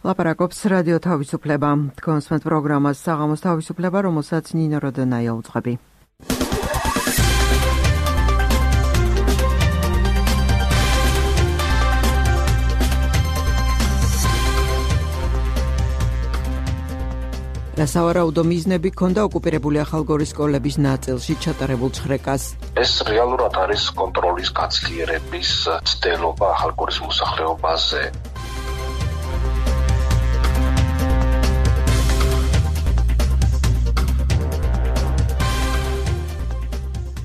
ლაპარაკობს რადიო თავისუფლება. კონსმეთ პროგრამას საღამოს თავისუფლება, რომელსაც ნინო როდენაია უძღვები. რასავარაუდო მიზნები ჰქონდა ოკუპირებული ახალგორის სკოლების ნაწილში ჩატარებულ ჩხრეკას. ეს რეალურად არის კონტროლის გაძლიერების ცდელობა ახალგორის მოსახლეობაზე.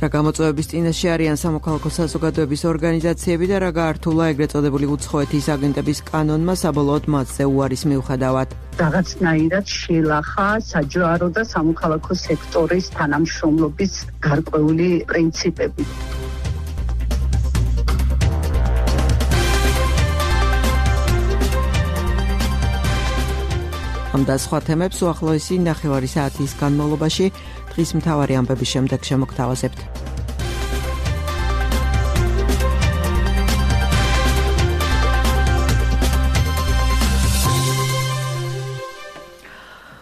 რა გამოწვევების წინაშე არიან სამოქალაქო საზოგადოების ორგანიზაციები და რა გაართულა ეგრეთ წოდებული უცხოეთის აგენტების კანონმა საბოლოოდ მათზე უარის მიუხედავად. რაღაცნაირად შეილახა საჯარო და სამოქალაქო სექტორის თანამშრომლობის გარკვეული პრინციპები. ამ და სხვა თემებს უახლოესი ნახევარი საათის განმავლობაში დღის მთავარი ამბების შემდეგ შემოგთავაზებთ.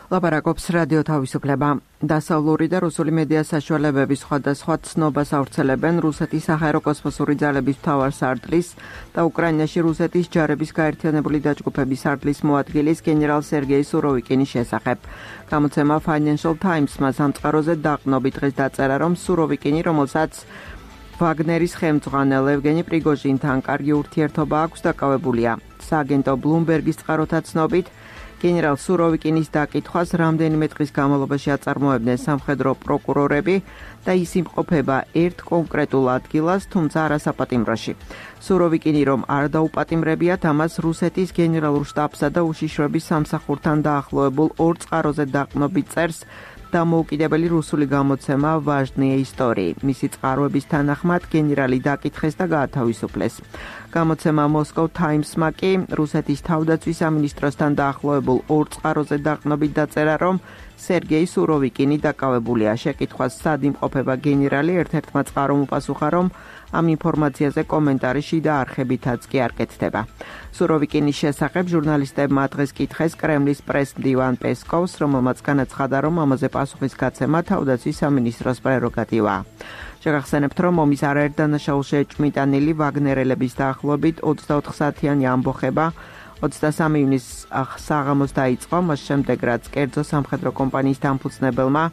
ლაპარაკობს რადიო თავისუფლება. დასავლური და რუსული მედია საშუალებების სხვადასხვა ცნობას ავრცელებენ რუსეთის საჰაერო კოსმოსური ძალების მთავარ სარდლის და უკრაინაში რუსეთის ჯარების გაერთიანებული დაჯგუფების სარდლის მოადგილის გენერალ სერგეი სუროვიკინის შესახებ. გამოცემა Financial Times-მა სამწყაროზე დაყნობით დღეს დაწერა, რომ სუროვიკინი, რომელსაც ვაგნერის ხელმძღვანელ ევგენი პრიგოჟინთან კარგი ურთიერთობა აქვს, დაკავებულია. სააგენტო Bloomberg-ის წყაროთა ცნობით, გენერალ სუროვიკინის დაკითხვას რამდენიმე დღის განმავლობაში აწარმოებდნენ სამხედრო პროკურორები და ის იმყოფება ერთ კონკრეტულ ადგილას, თუმცა არა საპატიმროში. სუროვიკინი რომ არ დაუპატიმრებიათ, ამას რუსეთის გენერალურ შტაბსა და უშიშროების სამსახურთან დაახლოებულ ორ წყაროზე დაყნობით წერს დამოუკიდებელი რუსული გამოცემა ვაჟნიე ისტორიი. მისი წყაროების თანახმად გენერალი დაკითხეს და გაათავისუფლეს. გამოცემა Moscow Times-მა კი რუსეთის თავდაცვის სამინისტროსთან დაახლოებულ ორ წყაროზე დაყნობით დაწერა, რომ სერგეი სუროვიკინი დაკავებულია. შეკითხვას სად იმყოფება გენერალი, ერთ-ერთმა წყარომ უპასუხა, რომ ამ ინფორმაციაზე კომენტარი შიდა არხებითაც კი არ კეთდება. სუროვიკინის შესახებ ჟურნალისტებმა დღეს კითხეს კრემლის პრეს-მდივან პესკოვს, რომელმაც განაცხადა, რომ ამაზე პასუხის გაცემა თავდაცვის სამინისტროს პრეროგატივაა. შეგახსენებთ, რომ ომის არაერთ დანაშაულში ეჭვმიტანილი ვაგნერელების დაახლოებით 24 საათიანი ამბოხება 23 ივნისს საღამოს დაიწყო, მას შემდეგ რაც კერძო სამხედრო კომპანიის დამფუძნებელმა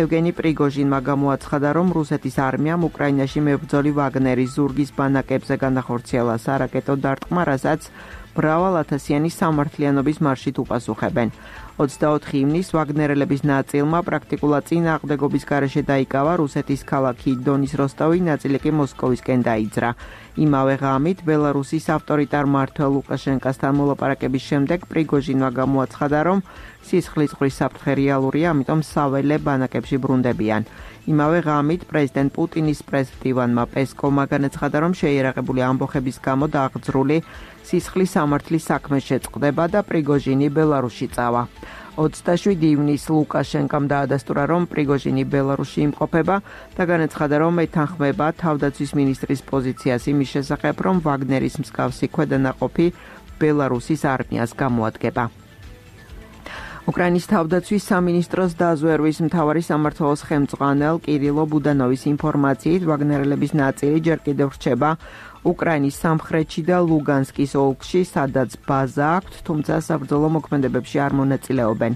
ევგენი პრიგოჟინმა გამოაცხადა, რომ რუსეთის არმიამ უკრაინაში მებრძოლი ვაგნერის ზურგის ბანაკებზე განახორციელა სარაკეტო დარტყმა, რასაც მრავალათასიანი სამართლიანობის მარშით უპასუხებენ. 24 ივნისს ვაგნერელების ნაწილმა პრაქტიკულად წინააღმდეგობის გარეშე დაიკავა რუსეთის ქალაქი დონის როსტოვი, ნაწილი კი მოსკოვისკენ დაიძრა. იმავე ღამით ბელარუსის ავტორიტარ მმართველ ლუკაშენკასთან მოლაპარაკების შემდეგ პრიგოჟინმა გამოაცხადა, რომ სისხლის ყრის საფრთხე რეალურია, ამიტომ საველე ბანაკებში ბრუნდებიან. იმავე ღამით პრეზიდენტ პუტინის პრეს-მდივანმა პესკოვმა განაცხადა, რომ შეიარაღებული ამბოხების გამო დააღწრული სისხლის სამართლის საქმე შეწყდება და პრიგოჟინი ბელარუსში წავა. 27 ივნისს ლუკაშენკამ დაადასტურა, რომ პრიგოჟინი ბელარუსში იმყოფება და განაცხადა, რომ ეთანხმება თავდაცვის მინისტრის პოზიციას იმის შესახებ, რომ ვაგნერის მსგავსი ქვედანაყოფი ბელარუსის არმიას გამოადგება. უკრაინის თავდაცვის სამინისტროს დაზვერვის მთავარი სამმართველოს ხელმძღვანელ კირილო ბუდანოვის ინფორმაციით, ვაგნერელების ნაწილი ჯერ კიდევ რჩება უკრაინის სამხრეთში და ლუგანსკის ოლქში, სადაც ბაზა აქვთ, თუმცა საბრძოლო მოქმედებებში არ მონაწილეობენ.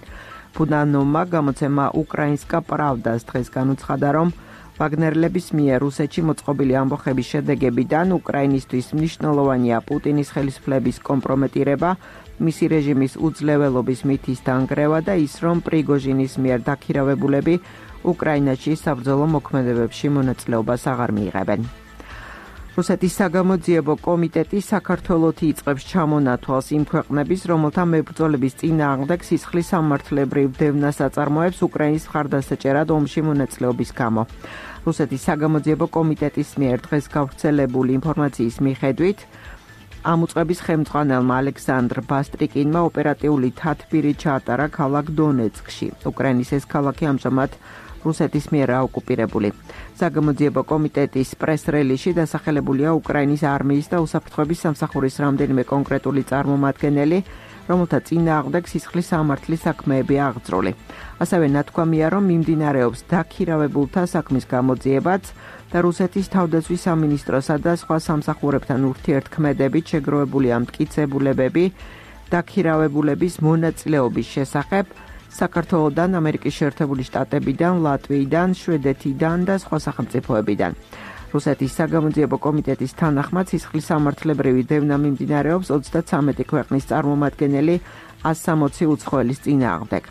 ბუდანოვმა გამოცემა უკრაინსკა პრავდას დღეს განუცხადა, რომ ვაგნერლების მიერ რუსეთში მოწყობილი ამბოხების შედეგებიდან უკრაინისთვის მნიშვნელოვანია პუტინის ხელისუფლების კომპრომეტირება, მისი რეჟიმის უძლეველობის მითის დანგრევა და ის, რომ პრიგოჟინის მიერ დაქირავებულები უკრაინაში საბრძოლო მოქმედებებში მონაწილეობას აღარ მიიღებენ. რუსეთის საგამოძიებო კომიტეტი საქართველოში იწყებს ჩამონათვალს იმ ქვეყნების, რომელთა მებრძოლების წინააღმდეგ სისხლის სამართლებრივ დევნას აწარმოებს უკრაინის მხარდასაჭერად ომში მონაწილეობის გამო. რუსეთის საგამოძიებო კომიტეტის მიერ დღეს გავრცელებული ინფორმაციის მიხედვით, ამ უწყების ხელმძღვანელმა ალექსანდრ ბასტრიკინმა ოპერატიული თათბირი ჩაატარა ქალაქ დონეცკში. უკრაინის ეს ქალაქი ამჟამად რუსეთის მიერ ოკუპირებული. საგამოძიებო კომიტეტის პრეს-რელიზში დასახელებულია უკრაინის არმიის და უსაფრთხოების სამსახურის რამდენიმე კონკრეტული წარმომადგენელი, რომელთა წინააღმდეგ სისხლის სამართლის საქმეები აღძრული. ასევე ნათქვამია, რომ მიმდინარეობს დაქირავებულთა საქმის გამოძიებაც და რუსეთის თავდაცვის სამინისტროსა და სხვა სამსახურებთან ურთიერთქმედებით შეგროვებულია მტკიცებულებები დაქირავებულების მონაწილეობის შესახებ საქართველოდან, ამერიკის შეერთებული შტატებიდან, ლატვიიდან, შვედეთიდან და სხვა სახელმწიფოებიდან. რუსეთის საგამოძიებო კომიტეტის თანახმად სისხლის სამართლებრივი დევნა მიმდინარეობს 33 ქვეყნის წარმომადგენელი 160 უცხოელის წინააღმდეგ.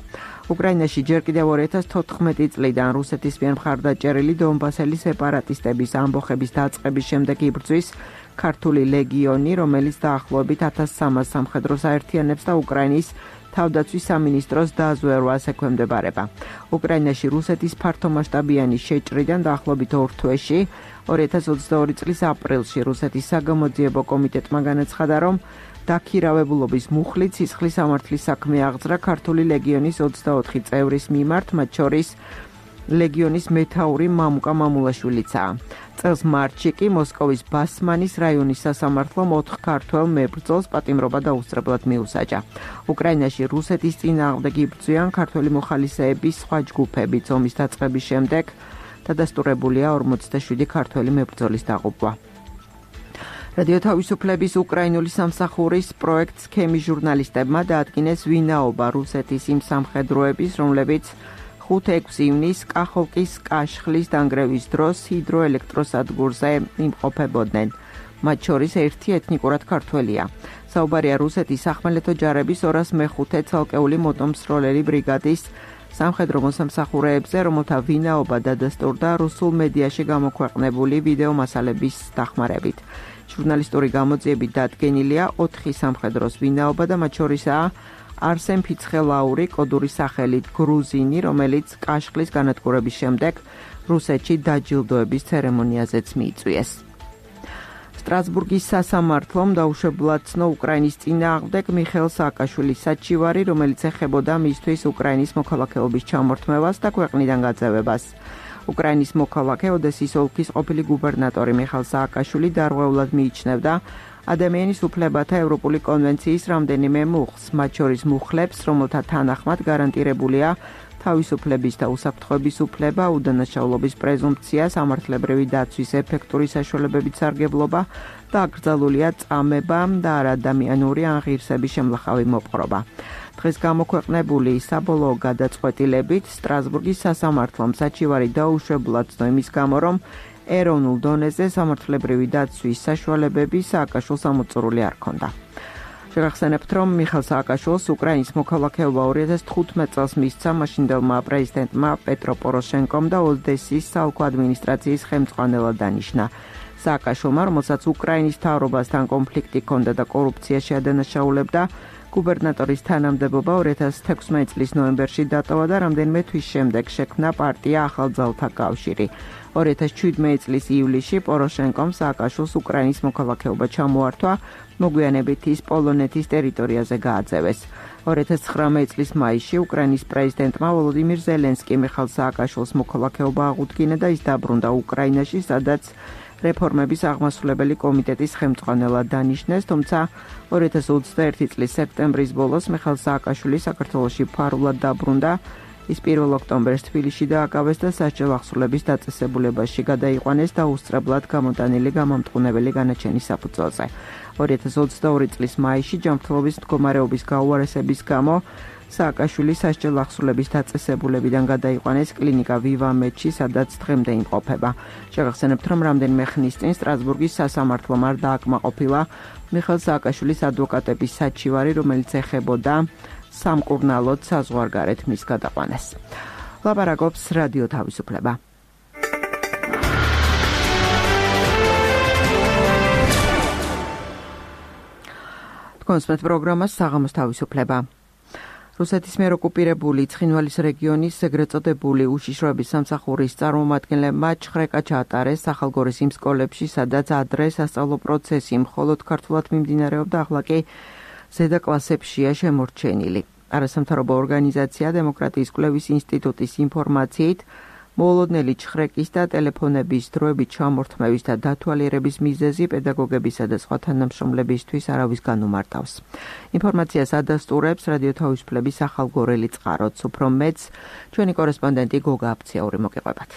უკრაინაში ჯერ კიდევ 2014 წლიდან რუსეთის მიერ მხარდაჭერილი დონბასელი სეპარატისტების ამბოხების დაწყების შემდეგ იბრძვის ქართული ლეგიონი, რომელიც დაახლოებით 1300 სამხედროს აერთიანებს და უკრაინის თავდაცვის სამინისტროს დაზვერვას ექვემდებარება. უკრაინაში რუსეთის ფართომასშტაბიანი შეჭრიდან დაახლოებით 2 თვეში 2022 წლის აპრილში რუსეთის საგამოძიებო კომიტეტმა განაცხადა, რომ დაქირავებულობის მუხლით სისხლის სამართლის საქმე აღძრა ქართული ლეგიონის 24 წევრის მიმართ, მათ შორის ლეგიონის მეთაური მამუკა მამულაშვილიცაა. წელს მარტში კი მოსკოვის ბასმანის რაიონის სასამართლომ 4 ქართველ მებრძოლს პატიმრობა დაუსწრებლად მიუსაჯა. უკრაინაში რუსეთის წინააღმდეგ იბრძვიან ქართველი მოხალისეების სხვა ჯგუფებიც. ომის დაწყების შემდეგ დადასტურებულია 47 ქართველი მებრძოლის დაღუპვა. რადიო თავისუფლების უკრაინული სამსახურის პროექტ სქემის ჟურნალისტებმა დაადგინეს ვინაობა რუსეთის იმ სამხედროების, რომლებიც 5-6 ივნისს კახოვკის კაშხლის დანგრევის დროს ჰიდროელექტროსადგურზე იმყოფებოდნენ. მათ შორის ერთი ეთნიკურად ქართველია. საუბარია რუსეთის სახმელეთო ჯარების 205 ცალკეული მოტომსროლელი ბრიგადის სამხედრო მოსამსახურეებზე, რომელთა ვინაობა დადასტურდა რუსულ მედიაში გამოქვეყნებული ვიდეო მასალების დახმარებით. ჟურნალისტური გამოძიებით დადგენილია 4 სამხედროს ვინაობა და მათ შორისაა არსენ ფიცხელაური, კოდური სახელით გრუზინი, რომელიც კაშხლის განადგურების შემდეგ რუსეთში დაჯილდოების ცერემონიაზეც მიიწვიეს. სტრასბურგის სასამართლომ დაუშვებლად ცნო უკრაინის წინააღმდეგ მიხეილ სააკაშვილის საჩივარი, რომელიც ეხებოდა მისთვის უკრაინის მოქალაქეობის ჩამორთმევას და ქვეყნიდან გაძევებას. უკრაინის მოქალაქე ოდესის ოლქის ყოფილი გუბერნატორი მიხეილ სააკაშვილი დარღვეულად მიიჩნევდა ადამიანის უფლებათა ევროპული კონვენციის რამდენიმე მუხლს, მათ შორის მუხლებს, რომელთა თანახმად გარანტირებულია თავისუფლების და უსაფრთხოების უფლება, უდანაშაულობის პრეზუმპცია, სამართლებრივი დაცვის ეფექტური საშუალებებით სარგებლობა და აკრძალულია წამება და არადამიანური ან ღირსების შემლახავი მოპყრობა. დღეს გამოქვეყნებული საბოლოო გადაწყვეტილებით სტრასბურგის სასამართლომ საჩივარი დაუშვებლად ცნო იმის გამო, რომ ეროვნულ დონეზე სამართლებრივი დაცვის საშუალებები სააკაშვილს ამოწურული არ ჰქონდა. შევახსენებთ, რომ მიხეილ სააკაშვილს უკრაინის მოქალაქეობა 2015 წელს მისცა მაშინდელმა პრეზიდენტმა პეტრო პოროშენკომ და ოდესის საოლქო ადმინისტრაციის ხელმძღვანელად დანიშნა. სააკაშვილმა, რომელსაც უკრაინის მთავრობასთან კონფლიქტი ჰქონდა და კორუფციაში ადანაშაულებდა, გუბერნატორის თანამდებობა 2016 წლის ნოემბერში დატოვა და რამდენიმე თვის შემდეგ შექმნა პარტია ახალძალთა კავშირი. 2017 წლის ივლისში პოროშენკომ სააკაშვილს უკრაინის მოქალაქეობა ჩამოართვა, მოგვიანებით ის პოლონეთის ტერიტორიაზე გააძევეს. 2019 წლის მაისში უკრაინის პრეზიდენტმა ვოლოდიმირ ზელენსკი მიხეილ სააკაშვილს მოქალაქეობა აღუდგინა და ის დაბრუნდა უკრაინაში, სადაც რეფორმების აღმასრულებელი კომიტეტის ხელმძღვანელად დანიშნეს, თუმცა 2021 წლის სექტემბრის ბოლოს მიხეილ სააკაშვილი საქართველოში ფარულად დაბრუნდა. ის 1 ოქტომბერს თბილისში დააკავეს და სასჯელ აღსრულების დაწესებულებაში გადაიყვანეს და უსწრებლად გამოტანილი გამამტყუნებელი განაჩენის საფუძველზე. 2022 წლის მაისში ჯანმრთელობის მდგომარეობის გაუარესების გამო სააკაშვილი სასჯელ აღსრულების დაწესებულებიდან გადაიყვანეს კლინიკა ვივამედში, სადაც დღემდე იმყოფება. შევახსენებთ, რომ რამდენიმე ხნის წინ სტრასბურგის სასამართლომ არ დააკმაყოფილა მიხეილ სააკაშვილის ადვოკატების საჩივარი, რომელიც ეხებოდა სამკურნალოდ საზღვარგარეთ მის გადაყვანას. ლაპარაკობს რადიო თავისუფლება. კონსპეთ პროგრამას საღამოს თავისუფლება. რუსეთის მიერ ოკუპირებული ცხინვალის რეგიონის ეგრეთ წოდებული უშიშროების სამსახურის წარმომადგენლებმა ჩხრეკა ჩაატარეს ახალგორის იმ სკოლებში, სადაც ადრე სასწავლო პროცესი მხოლოდ ქართულად მიმდინარეობდა, ახლა კი ზედა კლასებშია შემორჩენილი. არასამთავრობო ორგანიზაცია დემოკრატიის კვლევის ინსტიტუტის ინფორმაციით მოულოდნელი ჩხრეკის და ტელეფონების დროებით ჩამორთმევის და დათვალიერების მიზეზი პედაგოგებისა და სხვა თანამშრომლებისთვის არავის განუმარტავს. ინფორმაციას ადასტურებს რადიო თავისუფლების ახალგორელი წყაროც. უფრო მეც ჩვენი კორესპონდენტი გოგა აფციაური მოგეყვებათ.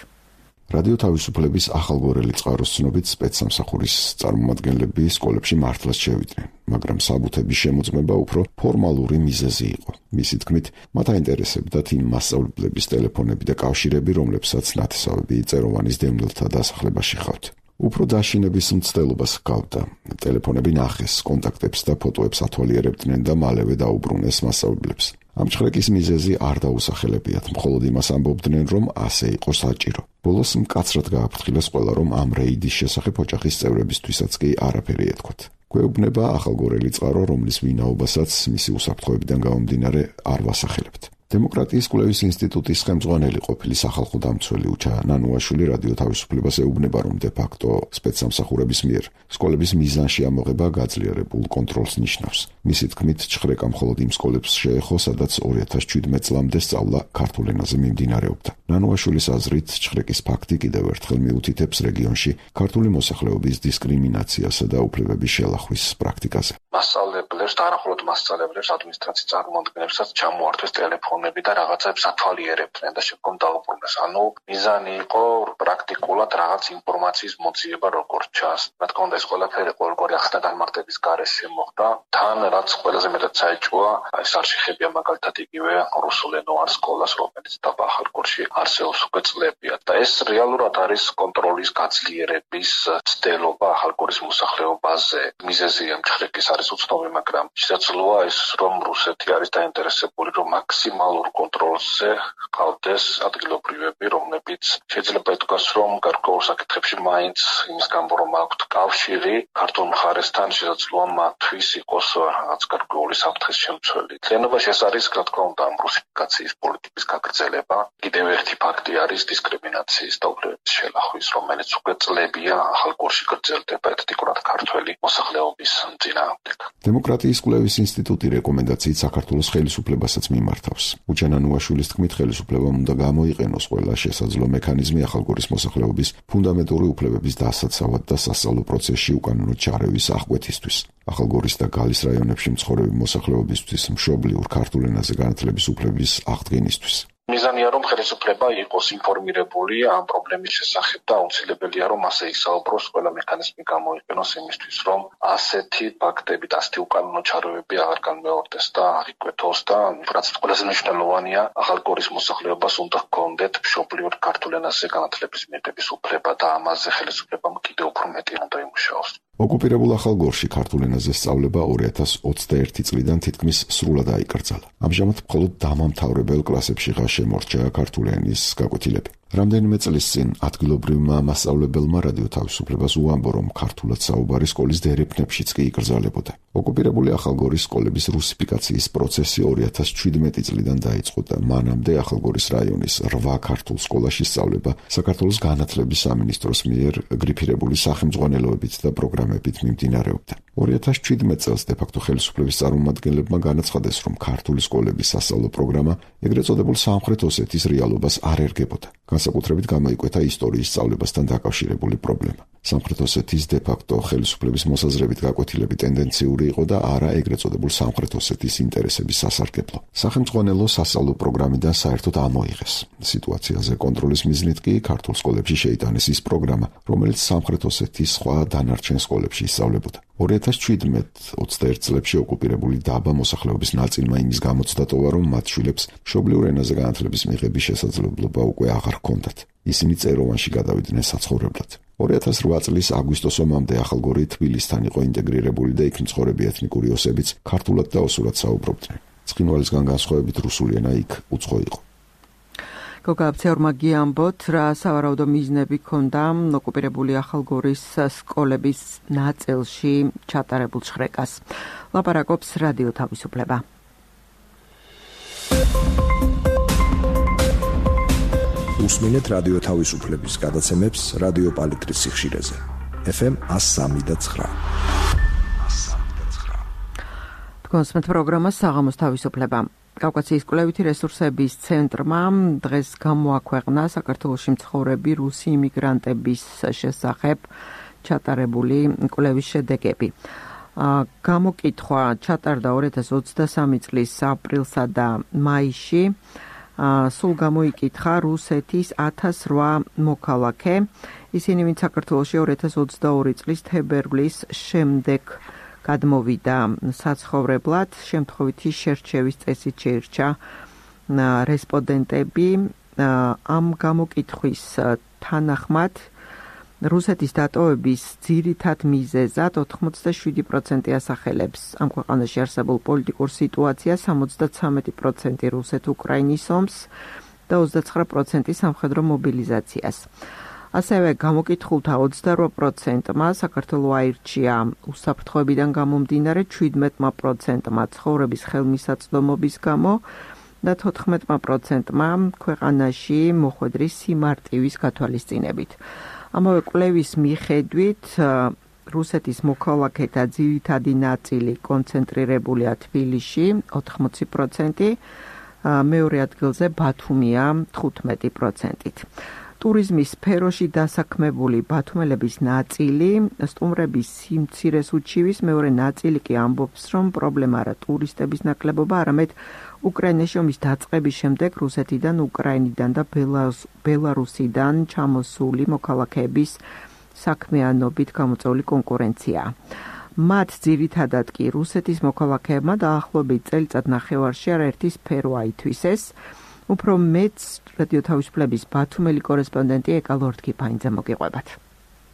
რადიო თავისუფლების ახალგორელი წყაროს ცნობით სპეცსამსახურის წარმომადგენლები სკოლებში მართლაც შევიდნენ, მაგრამ საბუთების შემოწმება უფრო ფორმალური მიზეზი იყო. მისი თქმით, მათ აინტერესებდათ იმ მასწავლებლების ტელეფონები და კავშირები, რომლებსაც ნათესავები წეროვანის დევნილთა დასახლებაში ხავთ. უფრო დაშინების მცდელობას ჰგავდა. ტელეფონები ნახეს, კონტაქტებს და ფოტოებს ათვალიერებდნენ და მალევე დაუბრუნეს მასწავლებლებს. ამ ჩხრეკის მიზეზი არ დაუსახელებიათ, მხოლოდ იმას ამბობდნენ, რომ ასე იყო საჭირო. ბოლოს მკაცრად გააფრთხილეს ყველა, რომ ამ რეიდის შესახებ ოჯახის წევრებისთვისაც კი არაფერი ეთქვათ. გვეუბნება ახალგორელი წყარო, რომლის ვინაობასაც მისი უსაფრთხოებიდან გამომდინარე არ ვასახელებთ. დემოკრატიის კვლევის ინსტიტუტის ხელმძღვანელი ყოფილი სახალხო დამცველი უჩა ნანუაშვილი რადიო თავისუფლებას ეუბნება, რომ დე-ფაქტო სპეცსამსახურების მიერ სკოლების მიზანში ამოღება გაძლიერებულ კონტროლს ნიშნავს. მისი თქმით, ჩხრეკა მხოლოდ იმ სკოლებს შეეხო, სადაც 2017 წლამდე სწავლა ქართულ ენაზე მიმდინარეობდა. ნანუაშვილის აზრით, ჩხრეკის ფაქტი კიდევ ერთხელ მიუთითებს რეგიონში ქართული მოსახლეობის დისკრიმინაციასა და უფლებების შელახვის პრაქტიკაზე. მასწავლებლებს და არახულოდ მასწავლებლებს ადმინისტრაციის წარმომადგენლებსაც ჩამოართვეს ტელეფონები და რაღაცებს ათვალიერებდნენ და შემდგომ დაუბრუნეს. ანუ მიზანი იყო პრაქტიკულად რაღაც ინფორმაციის მოძიება როგორც ჩანს. რა თქმა უნდა, ეს ყველაფერი ყოველგვარი ახსნა განმარტების გარეშე მოხდა. თან რაც ყველაზე მეტად საეჭვოა, ეს არ შეხებია მაგალითად იგივე რუსულენოვან სკოლას, რომელიც დაბახალგორში არსებობს უკვე წლებია და ეს რეალურად არის კონტროლის გაძლიერების ცდელობა ახალგორის მოსახლეობაზე. მიზეზი ამ ჩხრეკის არის უცნობი, მაგრამ შესაძლოა ის, რომ რუსეთი არის დაინტერესებული, რომ მაქსიმალურ კონტროლზე ყავდეს ადგილობრივები, რომლებიც შეიძლება ითქვას, რომ გარკვეულ საკითხებში მაინც იმის გამო, რომ აქვთ კავშირი ქართულ მხარესთან, შესაძლოა მათთვის იყოს რაღაც გარკვეული საფრთხის შემცველი. თლიანობაში ეს არის, რა თქმა უნდა, ამ რუსიფიკაციის პოლიტიკის გაგრძელება. კიდევ ერთი ფაქტი არის დისკრიმინაციის და უფლებების შელახვის, რომელიც უკვე წლებია ახალგორში გრძელდება ეთნიკურად ქართველი მოსახლეობის წინააღმდეგ. დემოკრატიის კვლევის ინსტიტუტი რეკომენდაციით საქართველოს ხელისუფლებასაც მიმართავს. უჩა ნანუაშვილის თქმით, ხელისუფლებამ უნდა გამოიყენოს ყველა შესაძლო მექანიზმი ახალგორის მოსახლეობის ფუნდამენტური უფლებების დასაცავად და სასწავლო პროცესში უკანონო ჩარევის აღკვეთისთვის. ახალგორის და გალის რაიონებში მცხოვრები მოსახლეობისთვის მშობლიურ ქართულ ენაზე განათლების უფლების აღდგენისთვის. მიზანია, რომ ხელისუფლება იყოს ინფორმირებული ამ პრობლემის შესახებ და აუცილებელია, რომ ასე ისაუბროს, ყველა მექანიზმი გამოიყენოს იმისთვის, რომ ასეთი ფაქტები და ასეთი უკანონო ჩარევები აღარ განმეორდეს და არ იკვეთოს და რაც ყველაზე მნიშვნელოვანია, ახალგორის მოსახლეობას უნდა ჰქონდეთ მშობლიურ ქართულ ენაზე განათლების მიღების უფლება და ამაზე ხელისუფლებამ კიდევ უფრო მეტი უნდა იმუშაოს. ოკუპირებულ ახალგორში ქართულ ენაზე სწავლება 2021 წლიდან თითქმის სრულად აიკრძალა. ამჟამად მხოლოდ დამამთავრებელ კლასებშიღა შემორჩა ქართული ენის გაკვეთილები. რამდენიმე წლის წინ ადგილობრივმა მასწავლებელმა რადიო თავისუფლებას უამბო, რომ ქართულად საუბარი სკოლის დერეფნებშიც კი იკრძალებოდა. ოკუპირებული ახალგორის სკოლების რუსიფიკაციის პროცესი 2017 წლიდან დაიწყო და მანამდე ახალგორის რაიონის 8 ქართულ სკოლაში სწავლება საქართველოს განათლების სამინისტროს მიერ გრიფირებული სახელმძღვანელოებით და პროგრამებით მიმდინარეობდა. 2017 წელს დე-ფაქტო ხელისუფლების წარმომადგენლებმა განაცხადეს, რომ ქართული სკოლების სასწავლო პროგრამა ეგრეთ წოდებულ სამხრეთ ოსეთის რეალობას არ ერგებოდა. განსაკუთრებით გამოიკვეთა ისტორიის სწავლებასთან დაკავშირებული პრობლემა. სამხრეთ ოსეთის დე-ფაქტო ხელისუფლების მოსაზრებით გაკვეთილები ტენდენციური იყო და არა ეგრეთ წოდებულ სამხრეთ ოსეთის ინტერესების სასარგებლო. სახელმძღვანელო სასწავლო პროგრამიდან საერთოდ ამოიღეს. სიტუაციაზე კონტროლის მიზნით კი ქართულ სკოლებში შეიტანეს ის პროგრამა, რომელიც სამხრეთ ოსეთის სხვა დანარჩენ სკოლებში ისწავლებოდა. 2017-21 წლებში ოკუპირებული დაბა მოსახლეობის ნაწილმა იმის გამოცდა ტოვა, რომ მათ შვილებს მშობლიურ ენაზე განათლების მიღების შესაძლებლობა უკვე აღარ ჰქონდათ. ისინი წეროვანში გადავიდნენ საცხოვრებლად. 2008 წლის აგვისტოს ომამდე ახალგორი თბილისთან იყო ინტეგრირებული და იქ მცხოვრები ეთნიკური ოსებიც ქართულად და ოსურად საუბრობდნენ. ცხინვალისგან განსხვავებით რუსული ენა იქ უცხო იყო. გოგაბცეურმა გიამბოთ, რა სავარაუდო მიზნები ჰქონდა ოკუპირებული ახალგორის სკოლების ნაწილში ჩატარებულ ჩხრეკას. ლაპარაკობს რადიო თავისუფლება. უსმენთ რადიო თავისუფლების გადაცემებს რადიო პალიტრის სიხშირეზე. FM 103.9. თქვენს პროგრამა საღამოს თავისუფლება. კავკასიის კვლევითი რესურსების ცენტრმა დღეს გამოაქვეყნა საქართველოში მცხოვრები რუსი იმიგრანტების შესახებ ჩატარებული კვლევის შედეგები. გამოკითხვა ჩატარდა 2023 წლის აპრილსა და მაისში. სულ გამოიკითხა რუსეთის 1008 მოქალაქე. ისინი ვინც საქართველოში 2022 წლის თებერვლის შემდეგ გადმოვიდა საცხოვრებლად, შემთხვევითი შერჩევის წესით შეირჩა რესპონდენტები. ამ გამოკითხვის თანახმად რუსეთის დატოვების ძირითად მიზეზად 87% ასახელებს ამ ქვეყანაში არსებულ პოლიტიკურ სიტუაციას, 73% რუსეთ-უკრაინის ომს და 29% სამხედრო მობილიზაციას. ასევე გამოკითხულთა 28%-მა საქართველო აირჩია უსაფრთხოებიდან გამომდინარე, 17%-მა ცხოვრების ხელმისაწვდომობის გამო და 14%-მა ქვეყანაში მოხვედრი სიმარტივის გათვალისწინებით. ამავე კვლევის მიხედვით რუსეთის მოქალაქეთა ძირითადი ნაწილი კონცენტრირებულია თბილისში 80%, მეორე ადგილზე ბათუმია 15%-ით. ტურიზმის სფეროში დასაქმებული ბათუმელების ნაწილი სტუმრების სიმცირეს უჩივის, მეორე ნაწილი კი ამბობს, რომ პრობლემა არა ტურისტების ნაკლებობა, არამედ უკრაინაში ომის დაწყების შემდეგ რუსეთიდან, უკრაინიდან და ბელარუსიდან ჩამოსული მოქალაქეების საქმიანობით გამოწვეული კონკურენცია. მათ ძირითადად კი რუსეთის მოქალაქეებმა დაახლოებით წელიწად ნახევარში არაერთი სფერო აითვისეს. უფრო მეც რადიო თავისუფლების ბათუმელი კორესპონდენტი ეკა ლორდ-კიფაინძე მოგიყვებათ.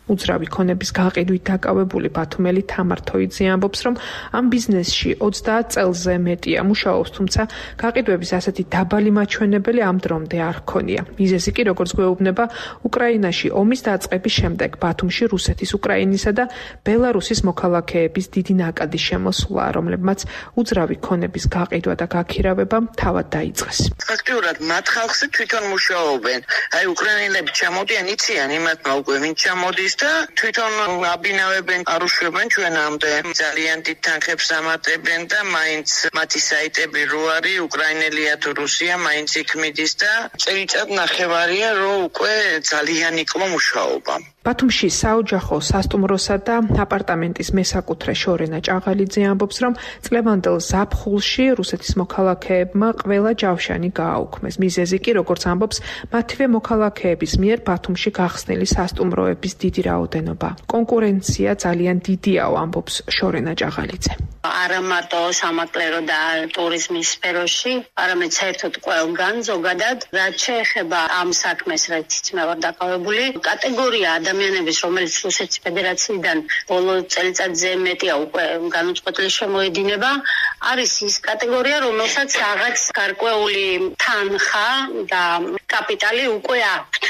უძრავი ქონების გაყიდვით დაკავებული ბათუმელი თამარ თოიძე ამბობს, რომ ამ ბიზნესში 30 წელზე მეტია მუშაობს, თუმცა გაყიდვების ასეთი დაბალი მაჩვენებელი ამ დრომდე არ ჰქონია. მიზეზი კი, როგორც გვეუბნება, უკრაინაში ომის დაწყების შემდეგ ბათუმში რუსეთის, უკრაინისა და ბელარუსის მოქალაქეების დიდი ნაკადის შემოსვლა, რომლებმაც უძრავი ქონების გაყიდვა და გაქირავება თავად დაიწყეს. ფაქტიურად მათ ხალხზე თვითონ მუშაობენ. აი უკრაინელები ჩამოდიან, იციან იმათმა უკვე ვინ ჩამოდის და თვითონ აბინავებენ, არუშვებენ ჩვენამდე. ძალიან დიდ თანხებს ამატებენ და მაინც მათი საიტები რო არის, უკრაინელია თუ რუსია, მაინც იქ მიდის და წელიწად ნახევარია, რომ უკვე ძალიან იკლო მუშაობა. ბათუმში საოჯახო, სასტუმროსა და აპარტამენტის მესაკუთრე შორენა ჭაღალიძე ამბობს, რომ წლევანდელ ზაფხულში რუსეთის მოქალაქეებმა ყველა ჯავშანი გააუქმეს. მიზეზი კი, როგორც ამბობს, მათივე მოქალაქეების მიერ ბათუმში გახსნილი სასტუმროების დიდი რაოდენობა. კონკურენცია ძალიან დიდიაო, ამბობს შორენა ჭაღალიძე. არა მარტო სამაკლერო და ტურიზმის სფეროში, არამედ საერთოდ ყველგან ზოგადად, რაც შეეხება ამ საქმეს, რაც მე ვარ დაკავებული, კატეგორია ადამიანების, რომელიც რუსეთის ფედერაციიდან ბოლო წელიწადზე მეტია უკვე განუწყვეტლი შემოედინება, არის ის კატეგორია, რომელსაც რაღაც გარკვეული თანხა და კაპიტალი უკვე აქვთ.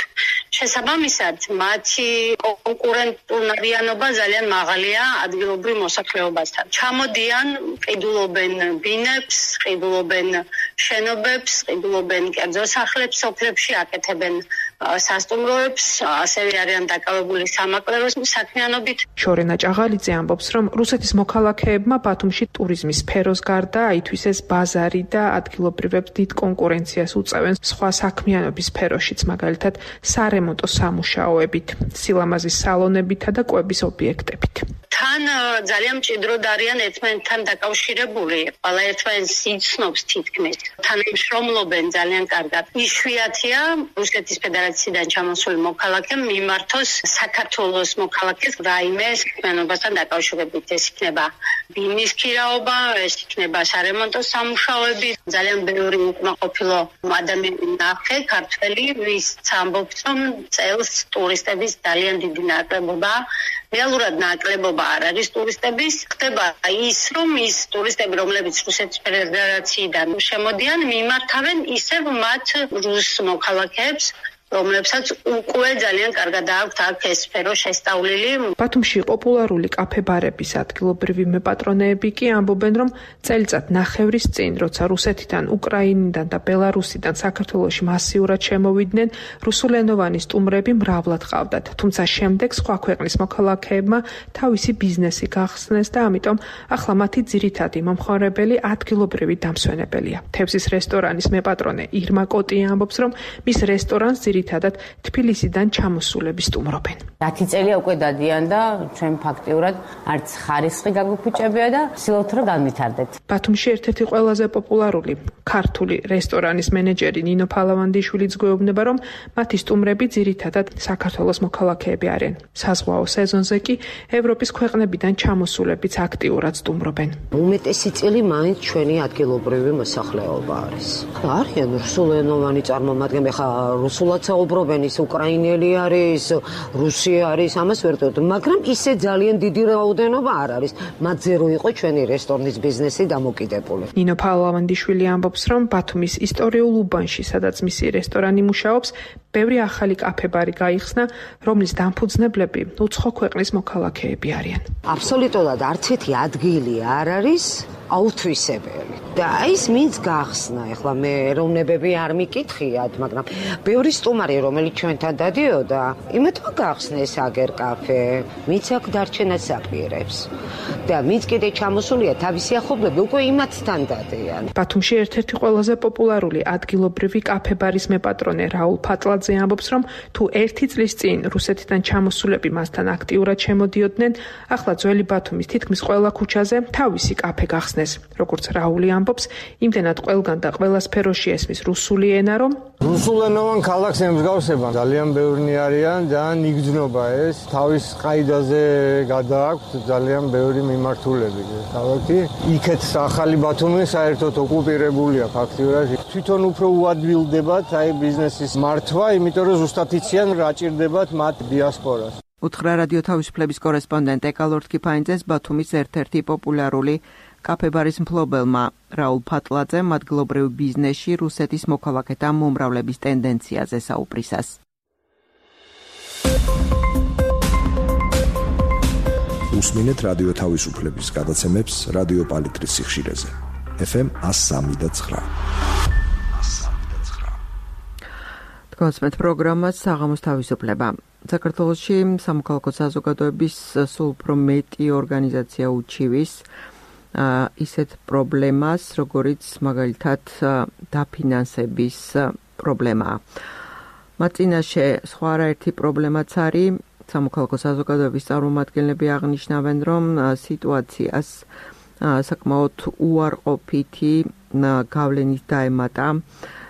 შესაბამისად, მათი კონკურენტუნარიანობა ძალიან მაღალია ადგილობრივ მოსახლეობასთან. ჩამოდიან, ყიდულობენ ბინებს, ყიდულობენ შენობებს, ყიდულობენ კერძო სახლებს, სოფლებში აკეთებენ სასტუმროებს, ასევე არიან დაკავებული სამაკლეროს საქმიანობით. შორენა ჭაღალიძე ამბობს, რომ რუსეთის მოქალაქეებმა ბათუმში ტურიზმის სფეროს გარდა აითვისეს ბაზარი და ადგილობრივებს დიდ კონკურენციას უწევენ სხვა საქმიანობის სფეროშიც, მაგალითად სარემონტო სამუშაოებით, სილამაზის სალონებითა და კვების ობიექტებით. თან ძალიან მჭიდროდ არიან ერთმანეთთან დაკავშირებული, ყველა ერთმანეთს იცნობს თითქმის. თანამშრომლობენ ძალიან კარგად. იშვიათია რუსეთის ფედერაციიდან ჩამოსული მოქალაქე მიმართოს საქართველოს მოქალაქეს რაიმე საქმიანობასთან დაკავშირებით. ეს იქნება ბინის ქირაობა, ეს იქნება სარემონტო სამუშაოები. ძალიან ბევრი უკმაყოფილო ადამიანი ნახე, ქართველი, ვისაც ამბობს, რომ წელს ტურისტების ძალიან დიდი ნაკლებობა. რეალურად ნაკლებობა არ არის ტურისტების. ხდება ის, რომ ის ტურისტები, რომლებიც რუსეთის ფედერაციიდან შემოდიან, მიმართავენ ისევ მათ რუს მოქალაქეებს, რომლებსაც უკვე ძალიან კარგად აქვთ აქ ეს სფერო შესწავლილი. ბათუმში პოპულარული კაფე-ბარების ადგილობრივი მეპატრონეები კი ამბობენ, რომ წელიწად ნახევრის წინ, როცა რუსეთიდან, უკრაინიდან და ბელარუსიდან საქართველოში მასიურად შემოვიდნენ, რუსულენოვანი სტუმრები მრავლად ყავდათ. თუმცა შემდეგ სხვა ქვეყნის მოქალაქეებმა თავისი ბიზნესი გახსნეს და ამიტომ ახლა მათი ძირითადი მომხმარებელი ადგილობრივი დამსვენებელია. თევზის რესტორანის მეპატრონე ირმა კოტია ამბობს, რომ მის რესტორანს ძირითადად თბილისიდან ჩამოსულები სტუმრობენ. 10 წელია უკვე დადიან და ჩვენ ფაქტიურად არც ხარისხი გაგუქუჭებია და ვცდილობთ რომ განვითარდეთ. ბათუმში ერთ-ერთი ყველაზე პოპულარული ქართული რესტორანის მენეჯერი ნინო ფალავანდიშვილი გვეუბნება, რომ მათი სტუმრები ძირითადად საქართველოს მოქალაქეები არიან. საზღვაო სეზონზე კი ევროპის ქვეყნებიდან ჩამოსულებიც აქტიურად სტუმრობენ. უმეტესი წილი მაინც ჩვენი ადგილობრივი მოსახლეობა არის. არიან რუსულენოვანი წარმომადგენლები, ხა რუსულად საუბრობენ, ის უკრაინელი არის, რუსი არის, ამას ვერ ვიტყვით, მაგრამ ისე ძალიან დიდი რაოდენობა არ არის. მათზე რო იყო ჩვენი რესტორნის ბიზნესი დამოკიდებული. ნინო ფალავანდიშვილი ამბობს, რომ ბათუმის ისტორიულ უბანში, სადაც მისი რესტორანი მუშაობს, ბევრი ახალი კაფე-ბარი გაიხსნა, რომლის დამფუძნებლები უცხო ქვეყნის მოქალაქეები არიან. აბსოლუტურად არც ერთი ადგილი არ არის აუთვისებელი. და ის მინც გახსნა, ეხლა მე ეროვნებები არ მიკითხიათ, მაგრამ ბევრი სტუმარი, რომელიც ჩვენთან დადიოდა, იმათმა გახსნეს აგერ კაფე, მიც აქ დარჩენას აპირებს. და მიც კიდე ჩამოსულია თავისი ახლობლები უკვე იმათთან დადიან. ბათუმში ერთ-ერთი ყველაზე პოპულარული ადგილობრივი კაფე-ბარის მეპატრონე რაულ ფატლაძე ამბობს, რომ თუ 1 წლის წინ რუსეთიდან ჩამოსულები მასთან აქტიურად შემოდიოდნენ, ახლა ძველი ბათუმის თითქმის ყველა ქუჩაზე თავისი კაფე გახსნეს. როგორც რაული ამბობს, იმდენად ყველგან და ყველა სფეროში ესმის რუსული ენა, რომ რუსულენოვან ქალაქს ემსგავსება, ძალიან ბევრი არიან, ძალიან იგრძნობა ეს, თავის ყაიდაზე გადააქვთ ძალიან ბევრი მიმართულები. თავი იქეთ ახალი ბათუმი საერთოდ ოკუპირებულია ფაქტიურად. თვითონ უფრო უადვილდებათ აი ბიზნესის მართვა, იმიტომ რომ ზუსტად იციან რა ჭირდებათ მათ დიასპორას. უთხრა რადიო თავისუფლების კორესპონდენტ ეკალორდ კიფაინძეს ბათუმის ერთ-ერთი პოპულარული კაფე-ბარის მფლობელმა რაულ ფატლაძემ ადგილობრივ ბიზნესში რუსეთის მოქალაქეთა მომრავლების ტენდენციაზე საუბრისას. უსმინეთ რადიო თავისუფლების გადაცემებს რადიო პალიტრის სიხშირეზე. FM 103.9. თქვენს პროგრამას საღამოს თავისუფლება. საქართველოში სამოქალაქო საზოგადოების სულ უფრო მეტი ორგანიზაცია უჩივის ისეთ პრობლემას, როგორიც მაგალითად დაფინანსების პრობლემაა. მათ წინაშე სხვა არაერთი პრობლემაც არის. სამოქალაქო საზოგადოების წარმომადგენლები აღნიშნავენ, რომ სიტუაციას საკმაოდ უარყოფითი გავლენით დაემატა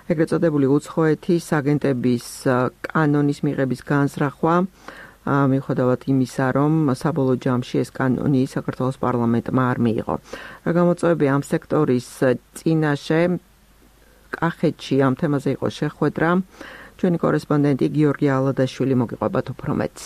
ეგრეთ წოდებული უცხოეთის აგენტების კანონის მიღების განზრახვა, მიუხედავად იმისა, რომ საბოლოო ჯამში ეს კანონი საქართველოს პარლამენტმა არ მიიღო. რა გამოწვევები ამ სექტორის წინაშე კახეთში ამ თემაზე იყო შეხვედრა. ჩვენი კორესპონდენტი გიორგი ალადაშვილი მოგიყვებათ უფრო მეტს.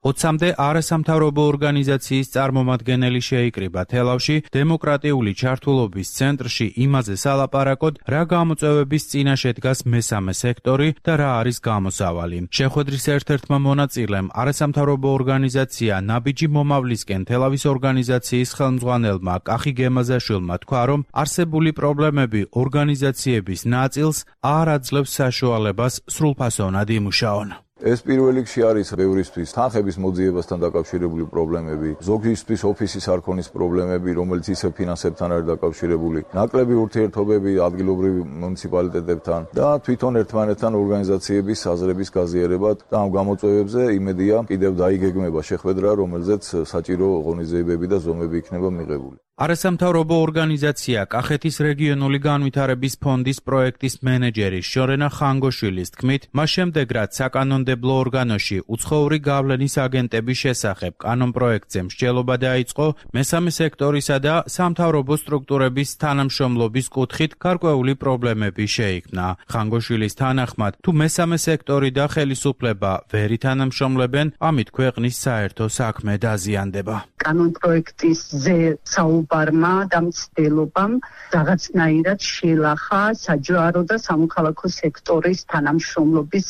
20-მდე არასამთავრობო ორგანიზაციის წარმომადგენელი შეიკრიბა თელავში დემოკრატიული ჩართულობის ცენტრში იმაზე სალაპარაკოდ, რა გამოწვევების წინაშე დგას მესამე სექტორი და რა არის გამოსავალი. შეხვედრის ერთ-ერთმა მონაწილემ არასამთავრობო ორგანიზაცია ნაბიჯი მომავლისკენ თელავის ორგანიზაციის ხელმძღვანელმა კახი გემაზაშვილმა თქვა, რომ არსებული პრობლემები ორგანიზაციების ნაწილს არ აძლევს საშუალებას სრულფასოვნად იმუშაონ. ეს პირველ რიგში არის ბევრისთვის თანხების მოძიებასთან დაკავშირებული პრობლემები, ზოგისთვის ოფისის არ ქონის პრობლემები, რომელიც ისევ ფინანსებთან არის დაკავშირებული, ნაკლები ურთიერთობები ადგილობრივ მუნიციპალიტეტებთან და თვითონ ერთმანეთთან ორგანიზაციების აზრების გაზიარება და ამ გამოწვევებზე იმედია კიდევ დაიგეგმება შეხვედრა, რომელზეც საჭირო ღონისძიებები და ზომები იქნება მიღებული. არასამთავრობო ორგანიზაცია კახეთის რეგიონული განვითარების ფონდის პროექტის მენეჯერი შორენა ხანგოშვილის თქმით, მას შემდეგ რაც საკანონმდებლო საკანონმდებლო ორგანოში უცხოური გავლენის აგენტების შესახებ კანონპროექტზე მსჯელობა დაიწყო მესამე სექტორისა და სამთავრობო სტრუქტურების თანამშრომლობის კუთხით გარკვეული პრობლემები შეიქმნა. ხანგოშვილის თანახმად, თუ მესამე სექტორი და ხელისუფლება ვერ ითანამშრომლებენ, ამით ქვეყნის საერთო საქმე დაზიანდება. კანონპროექტის საუბარმა და მცდელობამ რაღაცნაირად შეილახა საჯარო და სამოქალაქო სექტორის თანამშრომლობის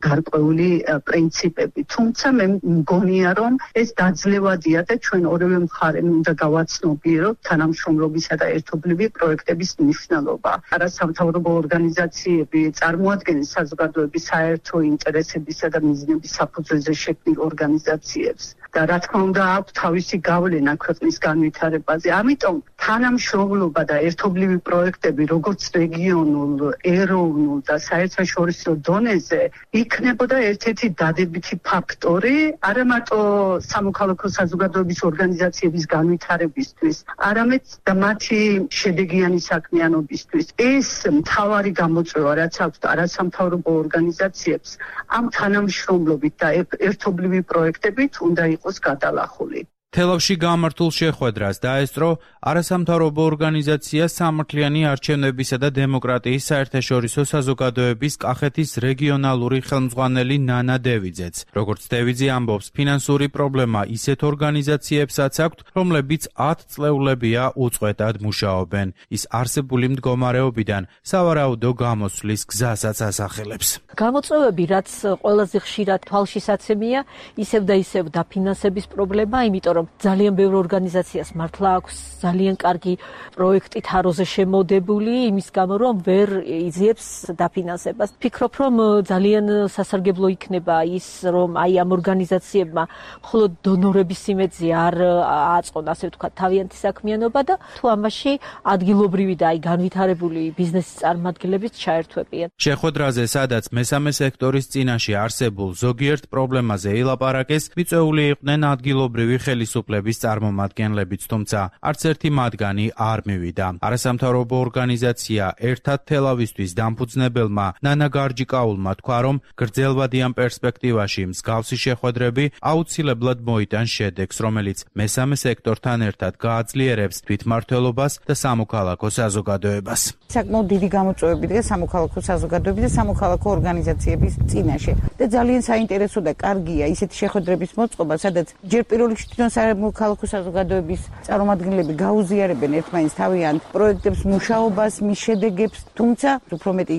გარკვეული პრინციპები. თუმცა მე მგონია, რომ ეს დაძლევადია და ჩვენ ორივე მხარემ უნდა გავაცნობიეროთ თანამშრომლობისა და ერთობლივი პროექტების მნიშვნელობა. არასამთავრობო ორგანიზაციები წარმოადგენენ საზოგადოების საერთო ინტერესებისა და მიზნების საფუძველზე შექმნილ ორგანიზაციებს და რა თქმა უნდა აქვს თავისი გავლენა ქვეყნის განვითარებაზე. ამიტომ თანამშრომლობა და ერთობლივი პროექტები როგორც რეგიონულ, ეროვნულ და საერთაშორისო დონეზე იქნებოდა ერთ-ერთი დადებითი ფაქტორი არა მარტო სამოქალაქო საზოგადოების ორგანიზაციების განვითარებისთვის, არამედ და მათი შედეგიანი საქმიანობისთვის. ეს მთავარი გამოწვევა, რაც აქვს არასამთავრობო ორგანიზაციებს, ამ თანამშრომლობით და ერთობლივი პროექტებით უნდა იყოს გადალახული. თელავში გამართულ შეხვედრას დაესწრო არასამთავრობო ორგანიზაცია სამართლიანი არჩევნებისა და დემოკრატიის საერთაშორისო საზოგადოების კახეთის რეგიონალური ხელმძღვანელი ნანა დევიძეც. როგორც დევიძე ამბობს, ფინანსური პრობლემა ისეთ ორგანიზაციებსაც აქვთ, რომლებიც 10 წლეულებია უწყვეტად მუშაობენ. ის არსებული მდგომარეობიდან სავარაუდო გამოსვლის გზასაც ასახელებს. გამოწვევები, რაც ყველაზე ხშირად თვალშისაცემია, ისევ და ისევ დაფინანსების პრობლემა, იმიტომ რომ ძალიან ბევრ ორგანიზაციას მართლა აქვს ძალიან კარგი პროექტი თაროზე შემოდებული, იმის გამო რომ ვერ იძიებს დაფინანსებას. ვფიქრობ, რომ ძალიან სასარგებლო იქნება ის, რომ აი ამ ორგანიზაციებმა მხოლოდ დონორების იმედზე არ აწყონ, ასე ვთქვათ, თავიანთი საქმიანობა და თუ ამაში ადგილობრივი და აი განვითარებული ბიზნესის წარმომადგენლებიც ჩაერთვებიან. შეხვედრაზე, სადაც მესამე სექტორის წინაშე არსებულ ზოგიერთ პრობლემაზე ილაპარაკეს, მიწვეული იყვნენ ადგილობრივი ხელისუფლების წარმომადგენლებიც, თუმცა არც ერთი მათგანი არ მივიდა. არასამთავრობო ორგანიზაცია ერთად თელავისთვის დამფუძნებელმა ნანა გარჯიკაულმა თქვა, რომ გრძელვადი ამ პერსპექტივაში მსგავსი შეხვედრები აუცილებლად მოიტანს შედეგს, რომელიც მესამე სექტორთან ერთად გააძლიერებს თვითმმართველობას და სამოქალაქო საზოგადოებას. საკმაოდ დიდი გამოწვევები დგას სამოქალაქო საზოგადოების და სამოქალაქო ორგანიზაციების წინაშე და ძალიან საინტერესო და კარგია ისეთი შეხვედრების მოწყობა, სადაც ჯერ პირველ რიგში თვითონ სამოქალაქო საზოგადოების წარმომადგენლები გაუზიარებენ ერთმანეთს თავიანთ პროექტებს, მუშაობას, მის შედეგებს, თუმცა უფრო მეტი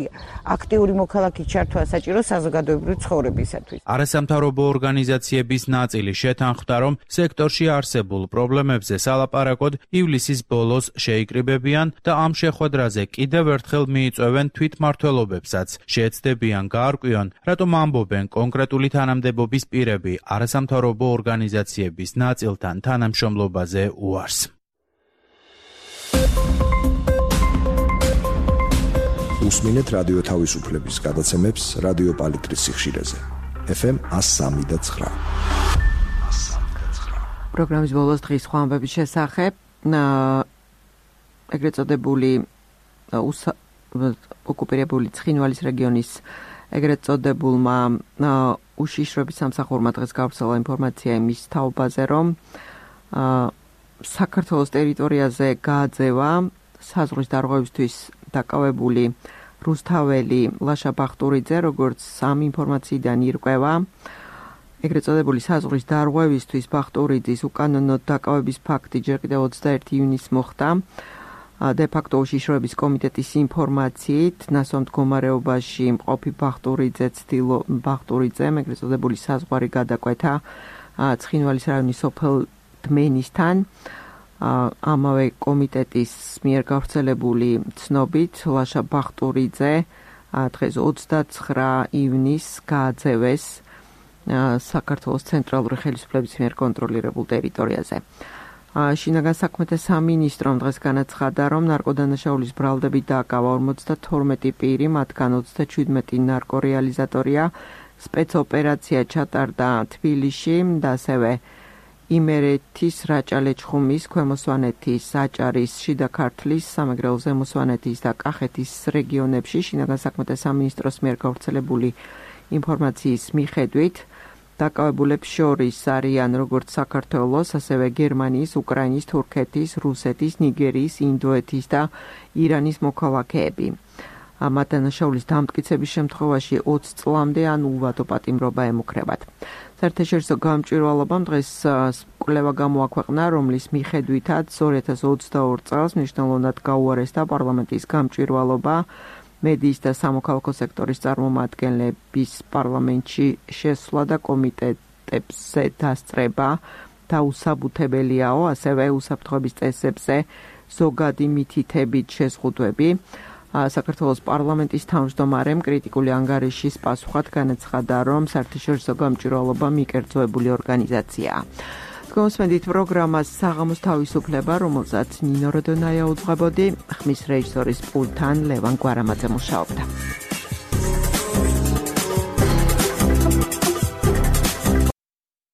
აქტიური მოქალაქის ჩართვა საჭირო საზოგადოებრივი ცხოვრებისათვის. არასამთავრობო ორგანიზაციების ნაწილი შეთანხმდა, რომ სექტორში არსებულ პრობლემებზე სალაპარაკოდ ივლისის ბოლოს შეიკრიბებიან და ამ შეხვედრაზე კიდევ ერთხელ მიიწვევენ თვითმმართველობებსაც. შეეცდებიან გაარკვიონ, რატომ ამბობენ კონკრეტული თანამდებობის პირები არასამთავრობო ორგანიზაციების ნაწილთან თანამშრომლობაზე უარს. უსმინეთ რადიო თავისუფლების გადაცემებს რადიო პალიტრის სიხშირეზე. FM 103.9. პროგრამის ბოლოს დღის სხვა ამბების შესახებ ეგრეთ წოდებული ოკუპირებული ცხინვალის რეგიონის ეგრეთ წოდებულმა უშიშროების სამსახურმა დღეს გავრცელა ინფორმაცია იმის თაობაზე, რომ საქართველოს ტერიტორიაზე გააძევა საზღვრის დარღვევისთვის დაკავებული რუსთაველი ლაშა ბახტურიძე, როგორც ამ ინფორმაციიდან ირკვევა, ეგრეთ წოდებული საზღვრის დარღვევისთვის ბახტურიძის უკანონოდ დაკავების ფაქტი ჯერ კიდევ 21 ივნისს მოხდა. de facto უშიშროების კომიტეტის ინფორმაციით, ნასვამ მდგომარეობაში მყოფი ბახტურიძემ ეგრეთ წოდებული საზღვარი გადაკვეთა ცხინვალის რაიონის სოფელ დმენისთან. ამავე კომიტეტის მიერ გავრცელებული ცნობით, ლაშა ბახტურიძე დღეს 29 ივნისს გააძევეს საქართველოს ცენტრალური ხელისუფლების მიერ კონტროლირებულ ტერიტორიაზე. შინაგან საქმეთა სამინისტრომ დღეს განაცხადა, რომ ნარკოდანაშაულის ბრალდებით დააკავა 52 პირი, მათგან 37 ნარკორეალიზატორია. სპეცოპერაცია ჩატარდა თბილისში და ასევე იმერეთის, რაჭა-ლეჩხუმის, ქვემო სვანეთის, აჭარის, შიდა ქართლის, სამეგრელო ზემო სვანეთის და კახეთის რეგიონებში. შინაგან საქმეთა სამინისტროს მიერ გავრცელებული ინფორმაციის მიხედვით დაკავებულებს შორის არიან როგორც საქართველოს, ასევე გერმანიის, უკრაინის, თურქეთის, რუსეთის, ნიგერიის, ინდოეთის და ირანის მოქალაქეები. ამ დანაშაულის დამტკიცების შემთხვევაში 20 წლამდე ან უვადო პატიმრობა ემუქრებათ. საერთაშორისო გამჭვირვალობამ დღეს კვლევა გამოაქვეყნა, რომლის მიხედვითაც 2022 წელს მნიშვნელოვნად გაუარესდა პარლამენტის გამჭვირვალობა მედიის და სამოქალაქო სექტორის წარმომადგენლების პარლამენტში შესვლა და კომიტეტებზე დასწრება დაუსაბუთებელიაო, ასევე უსაფრთხოების წესებზე ზოგადი მითითებით შეზღუდვები. საქართველოს პარლამენტის თავმჯდომარემ კრიტიკული ანგარიშის პასუხად განაცხადა, რომ საერთაშორისო გამჭვირვალობა მიკერძოებული ორგანიზაციაა. გასვენდით პროგრამას საღამოს თავისუფლება, რომელსაც ნინო როდონაია უძღვებოდი, ხმის რეჟისორის პულტთან ლევან გვარამაძე მუშაობდა.